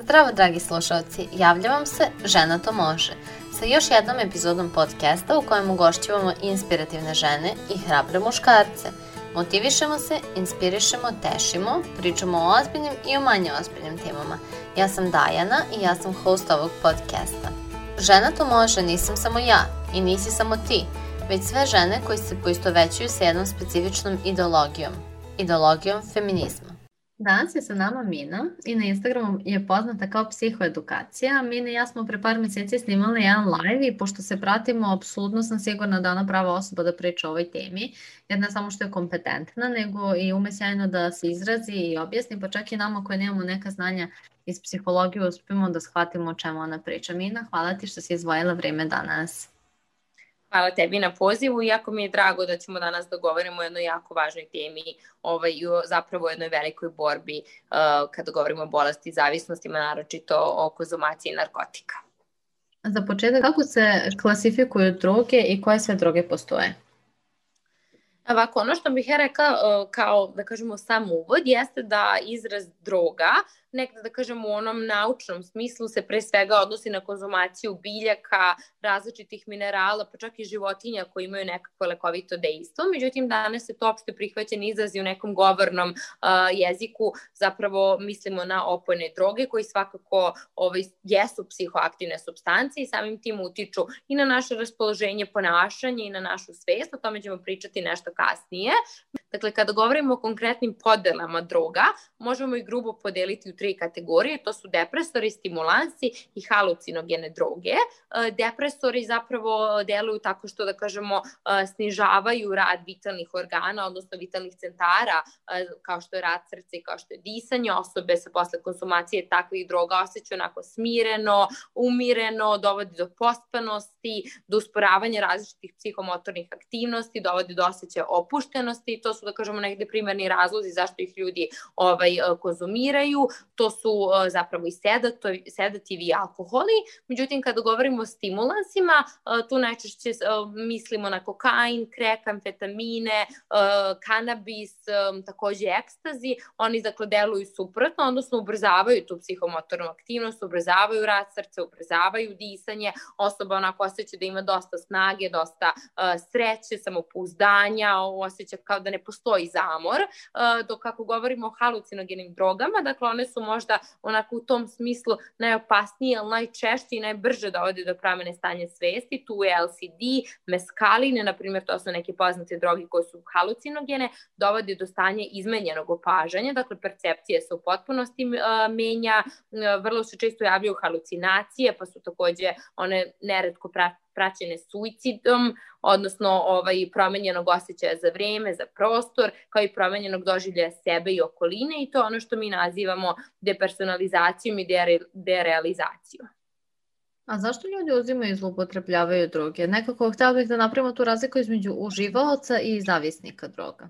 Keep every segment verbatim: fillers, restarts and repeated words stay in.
Zdravo dragi slušalci, javlja vam se Žena to može, sa još jednom epizodom podcasta u kojem ugošćivamo inspirativne žene i hrabre muškarce. Motivišemo se, inspirišemo, tešimo, pričamo o ozbiljnim i o manje ozbiljnim temama. Ja sam Dajana i ja sam host ovog podcasta. Žena to može nisam samo ja i nisi samo ti, već sve žene koji se poistovećuju sa jednom specifičnom ideologijom, ideologijom feminizma. Danas je sa nama Mina i na Instagramu je poznata kao psihoedukacija. Mina i ja smo pre par meseci snimali jedan live i pošto se pratimo, apsolutno sam sigurna da ona prava osoba da priča o ovoj temi, jer ne samo što je kompetentna, nego i ume sjajno da se izrazi i objasni, pa čak i nama koji nemamo neka znanja iz psihologije uspemo da shvatimo o čemu ona priča. Mina, hvala ti što si izdvojila vreme danas. Hvala tebi na pozivu, jako mi je drago da ćemo danas da govorimo o jednoj jako važnoj temi, ovaj, zapravo o jednoj velikoj borbi uh, kada govorimo o bolesti i zavisnostima, naročito o konzumaciji narkotika. Za početak, kako se klasifikuju droge i koje sve droge postoje? Ovako, ono što bih ja rekla uh, kao, da kažemo, sam uvod jeste da izraz droga nekada, da kažemo, u onom naučnom smislu se pre svega odnosi na konzumaciju biljaka, različitih minerala, pa čak i životinja koji imaju nekakvo lekovito dejstvo. Međutim, danas se to opšte prihvaćen izraz i u nekom govornom uh, jeziku zapravo mislimo na opojne droge koji svakako ovaj, jesu psihoaktivne supstance i samim tim utiču i na naše raspoloženje, ponašanje i na našu svest. O tome ćemo pričati nešto kasnije. Dakle, kada govorimo o konkretnim podelama droga, možemo i grubo podeliti u tri kategorije, to su depresori, stimulansi i halucinogene droge. Depresori zapravo deluju tako što, da kažemo, snižavaju rad vitalnih organa, odnosno vitalnih centara, kao što je rad srca i kao što je disanje. Osobe se posle konzumacije takvih droga osjećaju onako smireno, umireno, dovodi do pospanosti, do usporavanja različitih psihomotornih aktivnosti, dovodi do osjećaja opuštenosti. To su, da kažemo, negde primarni razlozi zašto ih ljudi ovaj, konzumiraju. To su uh, zapravo i sedativi, sedativi i alkoholi. Međutim, kada govorimo o stimulansima, uh, tu najčešće uh, mislimo na kokain, krek, amfetamine, uh, kanabis, um, takođe ekstazi. Oni, dakle, deluju suprotno, odnosno ubrzavaju tu psihomotornu aktivnost, ubrzavaju rad srca, ubrzavaju disanje. Osoba onako osjeća da ima dosta snage, dosta uh, sreće, samopouzdanja, osjeća kao da ne postoji zamor. Uh, dok kako govorimo o halucinogenim drogama, dakle, one su možda onako u tom smislu najopasnije, ali najčešće i najbrže dovode do promene stanja svesti. Tu je L S D, meskaline, na primjer, to su neke poznate droge koje su halucinogene, dovode do stanja izmenjenog opažanja, dakle, percepcija se u potpunosti uh, menja, uh, vrlo se često javljaju halucinacije, pa su takođe one neretko pra praćene suicidom, odnosno ovaj, promenjenog osjećaja za vreme, za prostor, kao i promenjenog doživljaja sebe i okoline, i to ono što mi nazivamo depersonalizacijom i dere, derealizacijom. A zašto ljudi uzimaju i zloupotrebljavaju droge? Nekako htjela bih da napravimo tu razliku između uživaoca i zavisnika droga.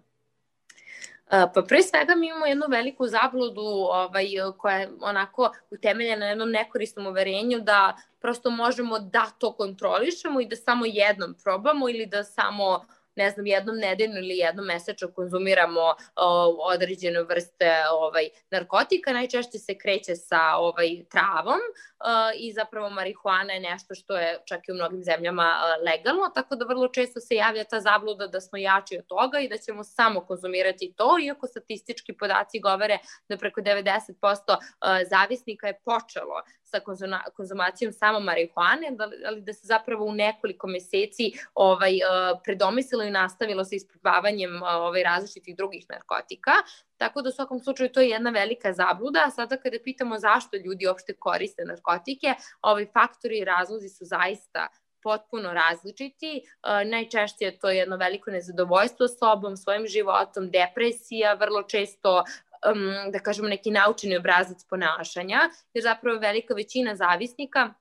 Pa pre svega mi imamo jednu veliku zabludu ovaj, koja je onako utemeljena na jednom nekorisnom uverenju da prosto možemo da to kontrolišemo i da samo jednom probamo ili da samo, ne znam, jednom nedeljno ili jednom mesečno konzumiramo o, određene vrste ovaj, narkotika. Najčešće se kreće sa ovaj, travom o, i zapravo marihuana je nešto što je čak i u mnogim zemljama o, legalno, tako da vrlo često se javlja ta zabluda da smo jači od toga i da ćemo samo konzumirati to, iako statistički podaci govore da preko devedeset posto o, zavisnika je počelo sa konzumacijom samo marihuane, ali da se zapravo u nekoliko meseci ovaj, predomislilo i nastavilo sa isprobavanjem ovaj, različitih drugih narkotika. Tako da u svakom slučaju to je jedna velika zabluda. A sada kada pitamo zašto ljudi uopšte koriste narkotike, ovaj, faktori i razlozi su zaista potpuno različiti. Uh, najčešće je to jedno veliko nezadovoljstvo sobom, svojim životom, depresija, vrlo često Um, da kažemo neki naučeni obrazac ponašanja, jer zapravo velika većina zavisnika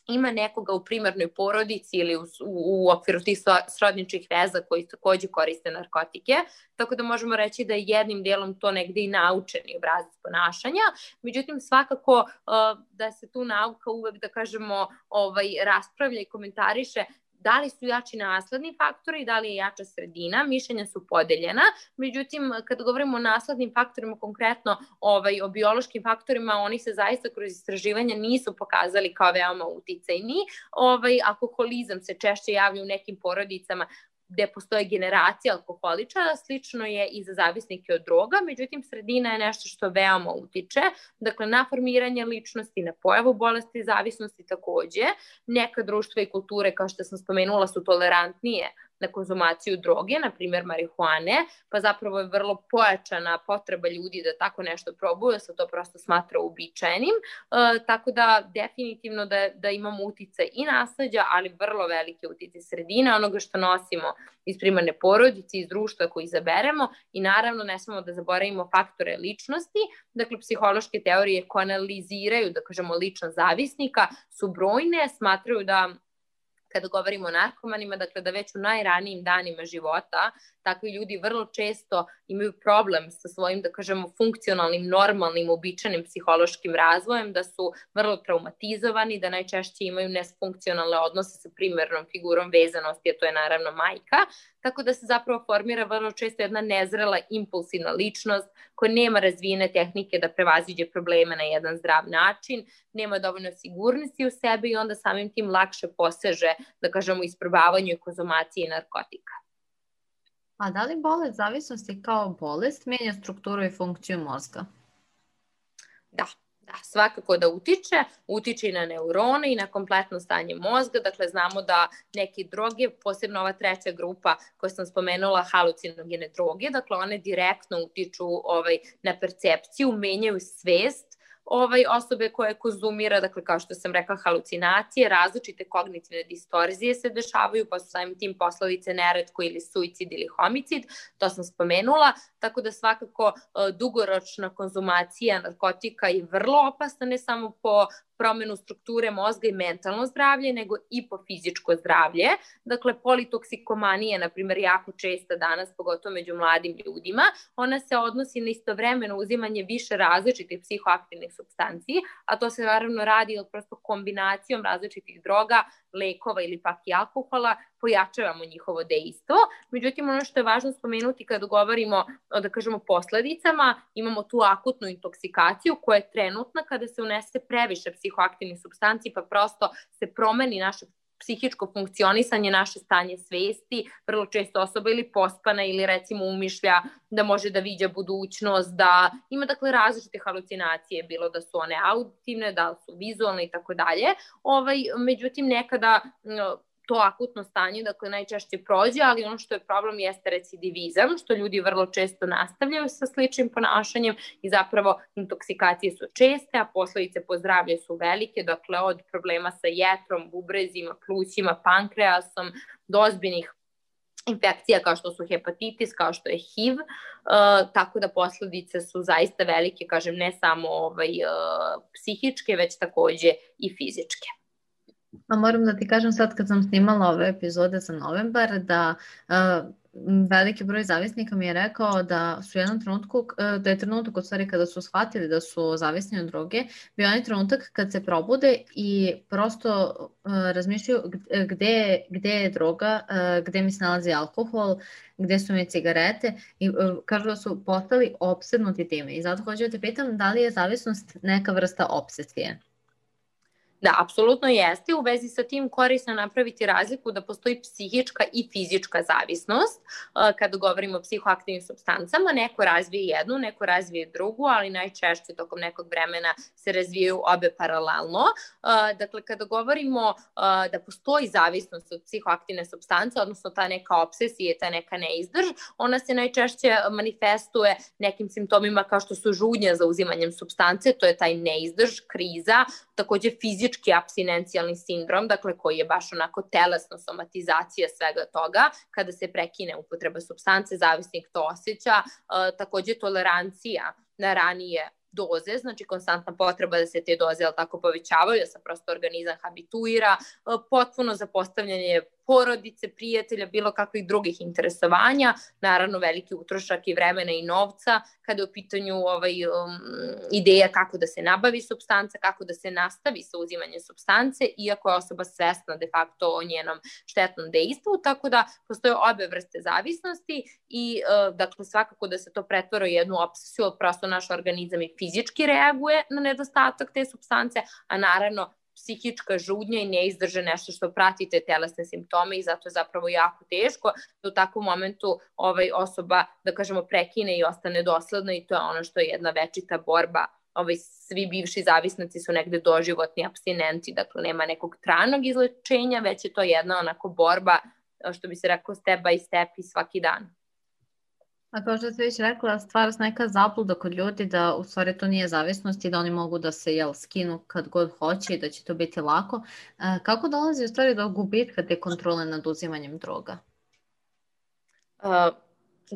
ima nekoga u primarnoj porodici ili u, u, u okviru tih srodničkih veza koji takođe koriste narkotike, tako da možemo reći da je jednim delom to negde i naučeni obrazac ponašanja. Međutim, svakako uh, da se tu nauka uvek, da kažemo, ovaj, raspravlja i komentariše Da li su jači nasledni faktori, da li je jača sredina, mišljenja su podeljena. Međutim, kada govorimo o naslednim faktorima, konkretno ovaj, o biološkim faktorima, oni se zaista kroz istraživanja nisu pokazali kao veoma uticajni. Ovaj, alkoholizam se češće javlja u nekim porodicama gde postoje generacija alkoholičara, slično je i za zavisnike od droga, međutim sredina je nešto što veoma utiče, dakle na formiranje ličnosti, na pojavu bolesti zavisnosti takođe. Neka društva i kulture, kao što sam spomenula, su tolerantnije na konzumaciju droge, na primjer marihuane, pa zapravo je vrlo pojačana potreba ljudi da tako nešto probaju, da se to prosto smatra uobičajenim, e, tako da definitivno da, da imamo uticaj i nasleđa, ali vrlo velike utice sredine, onoga što nosimo iz primarne porodice, iz društva koji izaberemo i naravno ne smemo da zaboravimo faktore ličnosti, dakle psihološke teorije koje analiziraju, da kažemo, ličnost zavisnika su brojne, smatraju da kada govorimo o narkomanima, dakle da već u najranijim danima života takvi ljudi vrlo često imaju problem sa svojim, da kažemo, funkcionalnim, normalnim, uobičajenim psihološkim razvojem, da su vrlo traumatizovani, da najčešće imaju nesfunkcionalne odnose sa primarnom figurom vezanosti, a to je naravno majka, tako da se zapravo formira vrlo često jedna nezrela, impulsivna ličnost koja nema razvijene tehnike da prevaziđe probleme na jedan zdrav način, nema dovoljno sigurnosti u sebi i onda samim tim lakše poseže, da kažemo, isprobavanju i konzumaciji narkotika. A da li bolest zavisnosti kao bolest menja strukturu i funkciju mozga? Da. Da, svakako da utiče, utiče i na neurone i na kompletno stanje mozga, dakle znamo da neke droge, posebno ova treća grupa koju sam spomenula, halucinogene droge, dakle one direktno utiču ovaj, na percepciju, menjaju svest ovaj, osobe koje konzumira, dakle kao što sam rekla, halucinacije, različite kognitivne distorzije se dešavaju, pa su samim tim posledice neretko ili suicid ili homicid, to sam spomenula, tako da svakako dugoročna konzumacija narkotika je vrlo opasna, ne samo po promenu strukture mozga i mentalno zdravlje, nego i po fizičko zdravlje. Dakle, politoksikomanija, na primjer, jako česta danas, pogotovo među mladim ljudima, ona se odnosi na istovremeno uzimanje više različitih psihoaktivnih supstanci, a to se naravno radi prosto kombinacijom različitih droga, lekova ili pak i alkohola, pojačavamo njihovo dejstvo. Međutim, ono što je važno spomenuti kada govorimo o, da kažemo, posledicama, imamo tu akutnu intoksikaciju koja je trenutna kada se unese previše psihoaktivnih supstanci, pa prosto se promeni naše psihičko funkcionisanje, naše stanje svesti, vrlo često osoba ili pospana ili recimo umišlja da može da viđa budućnost, da ima dakle različite halucinacije, bilo da su one auditivne, da su vizualne i tako dalje. Ovaj, međutim, nekada to akutno stanje, dakle, najčešće prođe, ali ono što je problem jeste recidivizam, što ljudi vrlo često nastavljaju sa sličnim ponašanjem i zapravo intoksikacije su česte, a posledice po zdravlje su velike, dakle, od problema sa jetrom, bubrezima, plućima, pankreasom, do ozbiljnih infekcija kao što su hepatitis, kao što je H I V, uh, tako da posledice su zaista velike, kažem, ne samo ovaj, uh, psihičke, već takođe i fizičke. A moram da ti kažem sad kad sam snimala ove epizode za novembar da uh, veliki broj zavisnika mi je rekao da su u jednom trenutku, uh, da je trenutak u stvari kada su shvatili da su zavisni od droge, bio onaj trenutak kad se probude i prosto uh, razmišljaju gde, gde je droga, uh, gde mi se nalazi alkohol, gde su mi cigarete i uh, kažu da su postali opsednuti time. I zato hoću da te pitam da li je zavisnost neka vrsta opsesije? Da, apsolutno jeste. U vezi sa tim korisno napraviti razliku da postoji psihička i fizička zavisnost. Kada govorimo o psihoaktivnim supstancama, neko razvije jednu, neko razvije drugu, ali najčešće tokom nekog vremena se razvijaju obe paralelno. Dakle, kada govorimo da postoji zavisnost od psihoaktivne supstance, odnosno ta neka obsesija, ta neka neizdrž, ona se najčešće manifestuje nekim simptomima kao što su žudnja za uzimanjem supstance, to je taj neizdrž, kriza, takođe fizički apstinencijalni sindrom, dakle koji je baš onako telesna somatizacija svega toga, kada se prekine upotreba supstance, zavisnik to osjeća, e, takođe tolerancija na ranije doze, znači konstantna potreba da se te doze ali tako povećavaju, da se prosto organizam habituira, potpuno zapostavljanje porodice, prijatelja, bilo kakvih drugih interesovanja, naravno veliki utrošak i vremena i novca, kada je u pitanju ovaj, um, ideja kako da se nabavi supstanca, kako da se nastavi sa uzimanjem supstance, iako je osoba svesna de facto o njenom štetnom dejstvu, tako da postoje obe vrste zavisnosti i uh, dakle svakako da se to pretvara u jednu opsesiju, prosto naš organizam i fizički reaguje na nedostatak te supstance, a naravno psihička žudnja i neizdrže nešto što prati te telesne simptome i zato je zapravo jako teško da u takvom momentu ovaj, osoba, da kažemo, prekine i ostane dosledna i to je ono što je jedna večita borba. Ovaj, svi bivši zavisnici su negde doživotni apstinenti, dakle nema nekog trajnog izlečenja, već je to jedna onako borba, što bi se rekao, step by step i svaki dan. A kao što ste već rekla, stvara se neka zabluda kod ljudi da u stvari to nije zavisnost i da oni mogu da se jel, skinu kad god hoće i da će to biti lako. E, kako dolazi u stvari do gubitka te kontrole nad uzimanjem droga? Uh,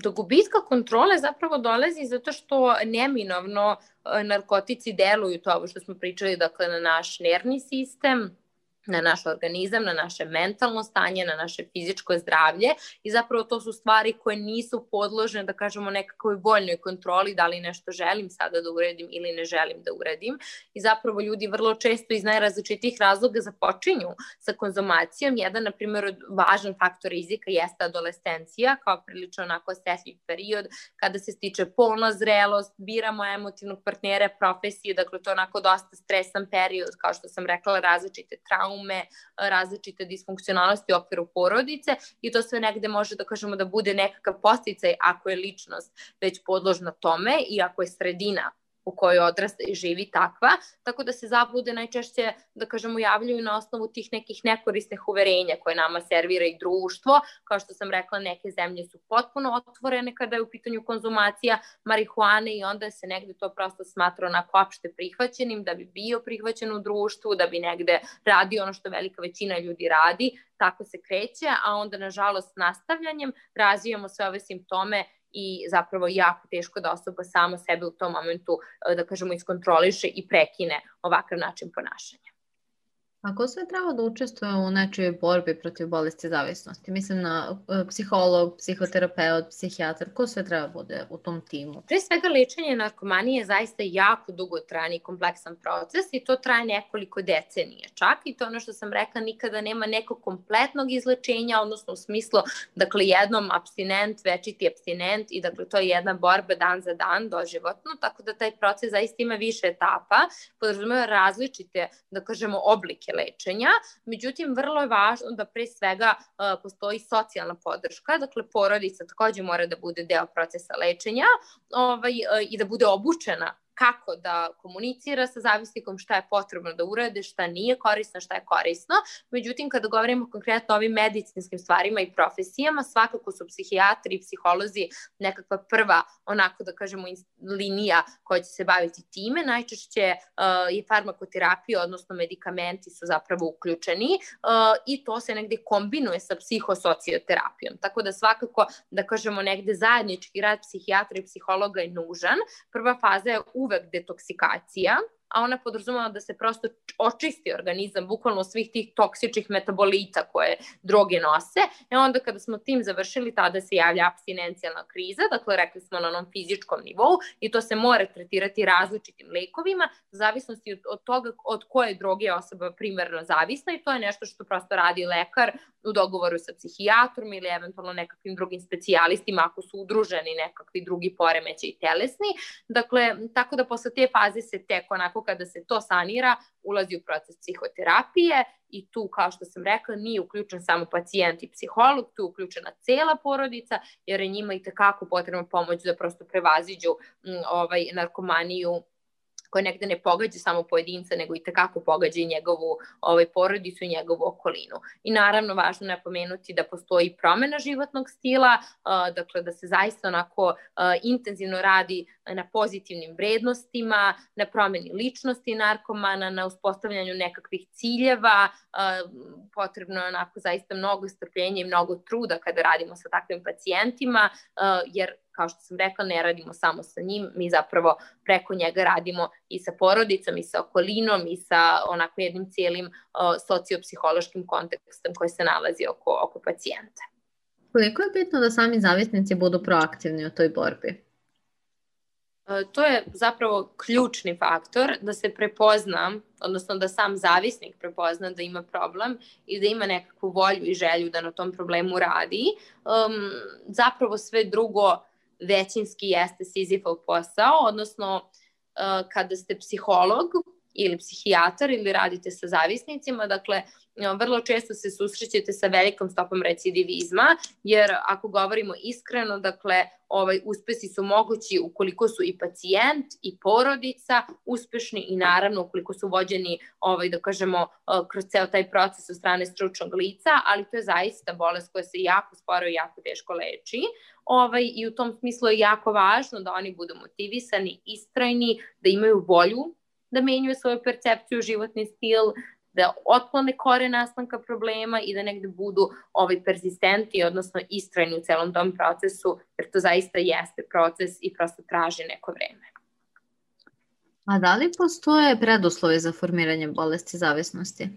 do gubitka kontrole zapravo dolazi zato što neminovno narkotici deluju, to ovo što smo pričali, dakle na naš nervni sistem, na naš organizam, na naše mentalno stanje, na naše fizičko zdravlje i zapravo to su stvari koje nisu podložene, da kažemo, nekakvoj voljnoj kontroli, da li nešto želim sada da uradim ili ne želim da uradim i zapravo ljudi vrlo često iz najrazličitih razloga započinju sa konzumacijom. Jedan, na primjer, važan faktor rizika jeste adolescencija, kao prilično onako osetljiv period kada se stiče polna zrelost, biramo emotivnog partnera, profesiju, dakle to je onako dosta stresan period, kao što sam rekla, različite traume, različite disfunkcionalnosti u okviru porodice i to sve negde može da kažemo da bude nekakav podsticaj ako je ličnost već podložna tome i ako je sredina u kojoj odrasta i živi takva, tako da se zablude najčešće, da kažemo, javljaju na osnovu tih nekih nekorisnih uverenja koje nama servira i društvo. Kao što sam rekla, neke zemlje su potpuno otvorene kada je u pitanju konzumacija marihuane i onda se negde to prosto smatra onako opšte prihvaćenim, da bi bio prihvaćen u društvu, da bi negde radio ono što velika većina ljudi radi, tako se kreće, a onda nažalost nastavljanjem razvijamo sve ove simptome i zapravo jako teško da osoba sama sebe u tom momentu, da kažemo, iskontroliše i prekine ovakav način ponašanja. A ko sve treba da učestvuje u nečijoj borbi protiv bolesti zavisnosti? Mislim na psiholog, psihoterapeut, psihijatar, ko sve treba bude u tom timu? Pre svega, lečenje narkomanije je zaista jako dugotrajan i kompleksan proces i to traje nekoliko decenija čak i to ono što sam rekla, nikada nema nekog kompletnog izlečenja, odnosno u smislu, dakle, jednom apstinent, večiti apstinent i dakle to je jedna borba dan za dan, doživotno, tako da taj proces zaista ima više etapa, podrazumeva različite, da kažemo, oblike lečenja, međutim vrlo je važno da pre svega uh, postoji socijalna podrška, dakle porodica takođe mora da bude deo procesa lečenja ovaj, uh, i da bude obučena kako da komunicira sa zavisnikom, šta je potrebno da urade, šta nije korisno, šta je korisno. Međutim, kada govorimo konkretno o ovim medicinskim stvarima i profesijama, svakako su psihijatri i psiholozi nekakva prva, onako da kažemo, linija koja će se baviti time. Najčešće uh, je farmakoterapija, odnosno medikamenti su zapravo uključeni uh, i to se negde kombinuje sa psihosocioterapijom. Tako da svakako, da kažemo, negde zajednički rad psihijatra i psihologa je nužan. Prva faza je uvek detoksikacija, a ona podrazumeva da se prosto očisti organizam bukvalno svih tih toksičnih metabolita koje droge nose. E onda kada smo tim završili, tada se javlja apstinencijalna kriza, dakle rekli smo na onom fizičkom nivou i to se mora tretirati različitim lekovima, u zavisnosti od, od toga od koje droge je osoba primarno zavisna i to je nešto što prosto radi lekar u dogovoru sa psihijatrom ili eventualno nekakvim drugim specijalistima ako su udruženi nekakvi drugi poremećaji telesni. Dakle, tako da posle te faze se tek onako kada se to sanira, ulazi u proces psihoterapije i tu, kao što sam rekla, nije uključen samo pacijent i psiholog, tu je uključena cela porodica, jer je njima i tekako potrebna pomoć da prosto prevaziđu m, ovaj, narkomaniju koja negde ne pogađa samo pojedinca, nego i tekako pogađa i njegovu ovaj, porodicu i njegovu okolinu. I naravno, važno je napomenuti da postoji promena životnog stila, uh, dakle da se zaista onako uh, intenzivno radi na pozitivnim vrednostima, na promeni ličnosti narkomana, na uspostavljanju nekakvih ciljeva. Potrebno je onako zaista mnogo strpljenja i mnogo truda kada radimo sa takvim pacijentima, jer kao što sam rekla, ne radimo samo sa njim, mi zapravo preko njega radimo i sa porodicom, i sa okolinom, i sa onako jednim cijelim sociopsihološkim kontekstom koji se nalazi oko, oko pacijenta. Koliko je bitno da sami zavisnici budu proaktivni u toj borbi? To je zapravo ključni faktor, da se prepozna, odnosno da sam zavisnik prepozna da ima problem i da ima nekakvu volju i želju da na tom problemu radi. Um, zapravo sve drugo većinski jeste Sizifov posao, odnosno uh, kada ste psiholog ili psihijatar ili radite sa zavisnicima, dakle, vrlo često se susrećete sa velikom stopom recidivizma, jer ako govorimo iskreno, dakle, ovaj, uspesi su mogući ukoliko su i pacijent i porodica uspešni i naravno ukoliko su vođeni, ovaj, da kažemo, kroz ceo taj proces od strane stručnog lica, ali to je zaista bolest koja se jako sporo i jako teško leči. Ovaj, I u tom smislu je jako važno da oni budu motivisani, istrajni, da imaju volju da menjaju svoju percepciju, životni stil, da otklone kore nastanka problema i da negde budu ovaj, persistenti, odnosno istrajni u celom tom procesu, jer to zaista jeste proces i prosto traži neko vreme. A da li postoje preduslovi za formiranje bolesti zavisnosti?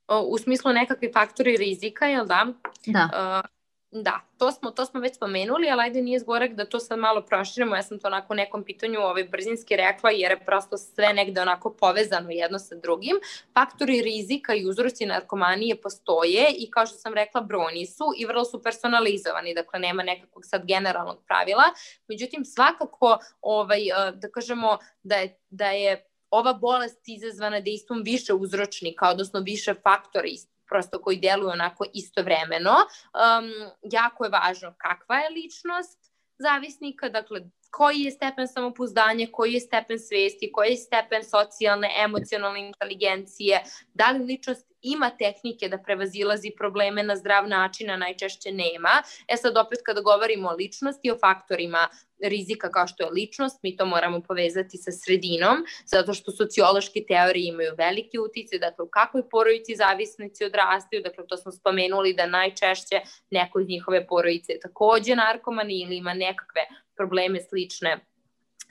O, u smislu nekakvi faktori rizika, jel da? Da. Uh, Da, to smo, to smo već spomenuli, ali ajde nije zgorek da to sad malo proširimo. Ja sam to onako u nekom pitanju ovaj, brzinski rekla, jer je prosto sve negde onako povezano jedno sa drugim. Faktori rizika i uzroci narkomanije postoje i kao što sam rekla, brojni su i vrlo su personalizovani, dakle nema nekakvog sad generalnog pravila. Međutim, svakako ovaj, da kažemo da je, da je ova bolest izazvana dejstvom više uzročnika, odnosno više faktora prosto koji deluju onako istovremeno. Um, jako je važno kakva je ličnost zavisnika, dakle koji je stepen samopouzdanja, koji je stepen svesti, koji je stepen socijalne, emocionalne inteligencije, da li ličnost ima tehnike da prevazilazi probleme na zdrav način, a najčešće nema. E sad opet kada govorimo o ličnosti, o faktorima rizika kao što je ličnost, mi to moramo povezati sa sredinom, zato što sociološke teorije imaju veliki uticaj, dakle u kakvoj porodici zavisnici odrastaju, dakle to smo spomenuli da najčešće neko iz njihove porodice je takođe narkoman ili ima nekakve probleme slične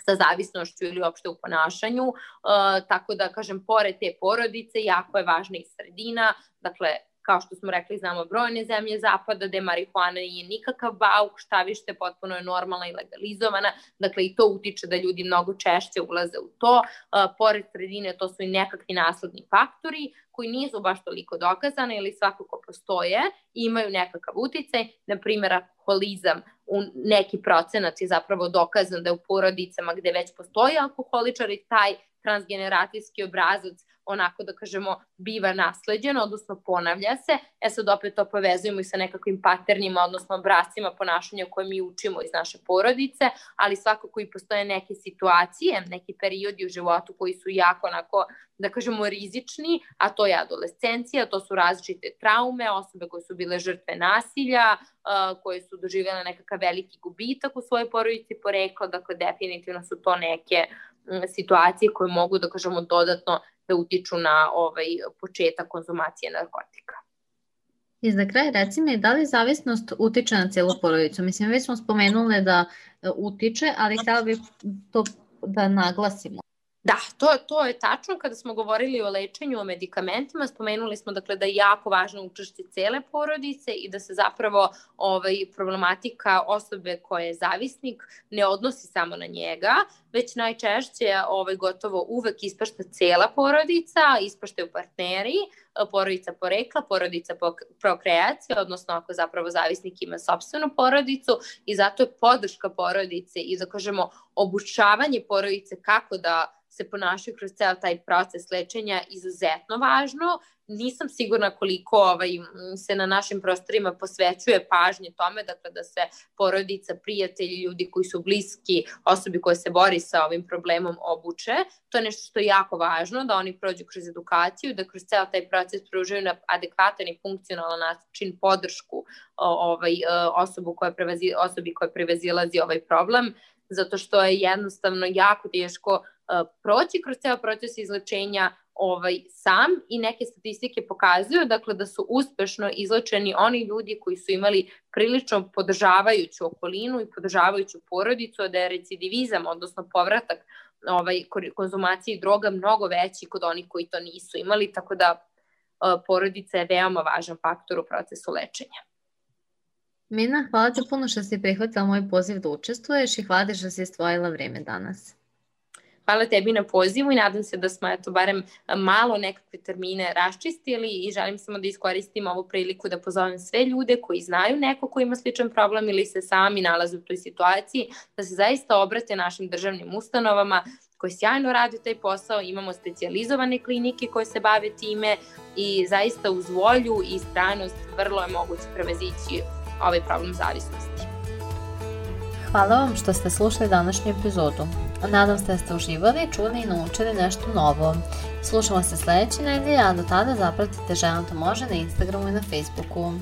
sa zavisnošću ili uopšte u ponašanju, uh, tako da kažem, pored te porodice jako je važna i sredina, dakle kao što smo rekli, znamo brojne zemlje zapada gde marihuana nije nikakav bauk, šta više potpuno je normalna i legalizovana, dakle i to utiče da ljudi mnogo češće ulaze u to. Uh, pored sredine to su i nekakvi nasledni faktori koji nisu baš toliko dokazane ili svakako postoje i imaju nekakav uticaj, na primjer alkoholizam u neki procenat je zapravo dokazan da je u porodicama gde već postoji alkoholičar i taj transgeneracijski obrazac onako da kažemo biva nasleđen, odnosno ponavlja se. E sad opet to povezujemo i sa nekakvim paternima, odnosno obrascima ponašanja koje mi učimo iz naše porodice, ali svakako i postoje neke situacije, neki periodi u životu koji su jako onako, da kažemo, rizični, a to je adolescencija, to su različite traume, osobe koje su bile žrtve nasilja, koje su doživjele nekakav veliki gubitak u svojoj porodici porekla, dakle definitivno su to neke situacije koje mogu, da kažemo, dodatno da utiču na ovaj početak konzumacije narkotika. I za kraj reci mi, da li zavisnost utiče na cijelu porodicu? Mislim, već smo spomenule da utiče, ali htjela bih to da naglasimo. Da, to, to je tačno. Kada smo govorili o lečenju, o medikamentima, spomenuli smo dakle da je jako važno učešće cele porodice i da se zapravo ovaj, problematika osobe koja je zavisnik ne odnosi samo na njega, već najčešće ovaj, gotovo uvek ispašta cela porodica, ispaštaju partneri, porodica porekla, porodica prokreacije, odnosno ako zapravo zavisnik ima sopstvenu porodicu i zato je podrška porodice i da kažemo obučavanje porodice kako da se ponašaju kroz ceo taj proces lečenja izuzetno važno. Nisam sigurna koliko ovaj, se na našim prostorima posvećuje pažnje tome, dakle da se porodica, prijatelji, ljudi koji su bliski osobi koja se bori sa ovim problemom obuče. To je nešto što je jako važno, da oni prođu kroz edukaciju, da kroz ceo taj proces pružaju na adekvatan i funkcionalan način podršku ovaj, osobu koja prevazi, osobi koja prevazilazi ovaj problem. zato što je jednostavno jako teško uh, proći kroz ceo proces izlečenja ovaj, sam i neke statistike pokazuju dakle, da su uspešno izlečeni oni ljudi koji su imali prilično podržavajuću okolinu i podržavajuću porodicu, da je recidivizam, odnosno povratak ovaj, konzumaciji droga mnogo veći kod onih koji to nisu imali, tako da uh, porodica je veoma važan faktor u procesu lečenja. Mina, hvala ti puno što si prihvatila moj poziv da učestvuješ i hvala ti što si izdvojila vreme danas. Hvala tebi na pozivu i nadam se da smo eto, barem malo nekakve termine raščistili i želim samo da iskoristim ovu priliku da pozovem sve ljude koji znaju neko ko ima sličan problem ili se sami nalaze u toj situaciji, da se zaista obrate našim državnim ustanovama koji sjajno rade taj posao, imamo specijalizovane klinike koje se bave time i zaista uz volju i istrajnost vrlo je moguće prevazići ovaj problem zavisnosti. Hvala vam što ste slušali današnju epizodu. Nadam se da ste uživali, čuli i naučili nešto novo. Slušamo se sledeće nedelje, a do tada zapratite Žena to može na Instagramu i na Facebooku.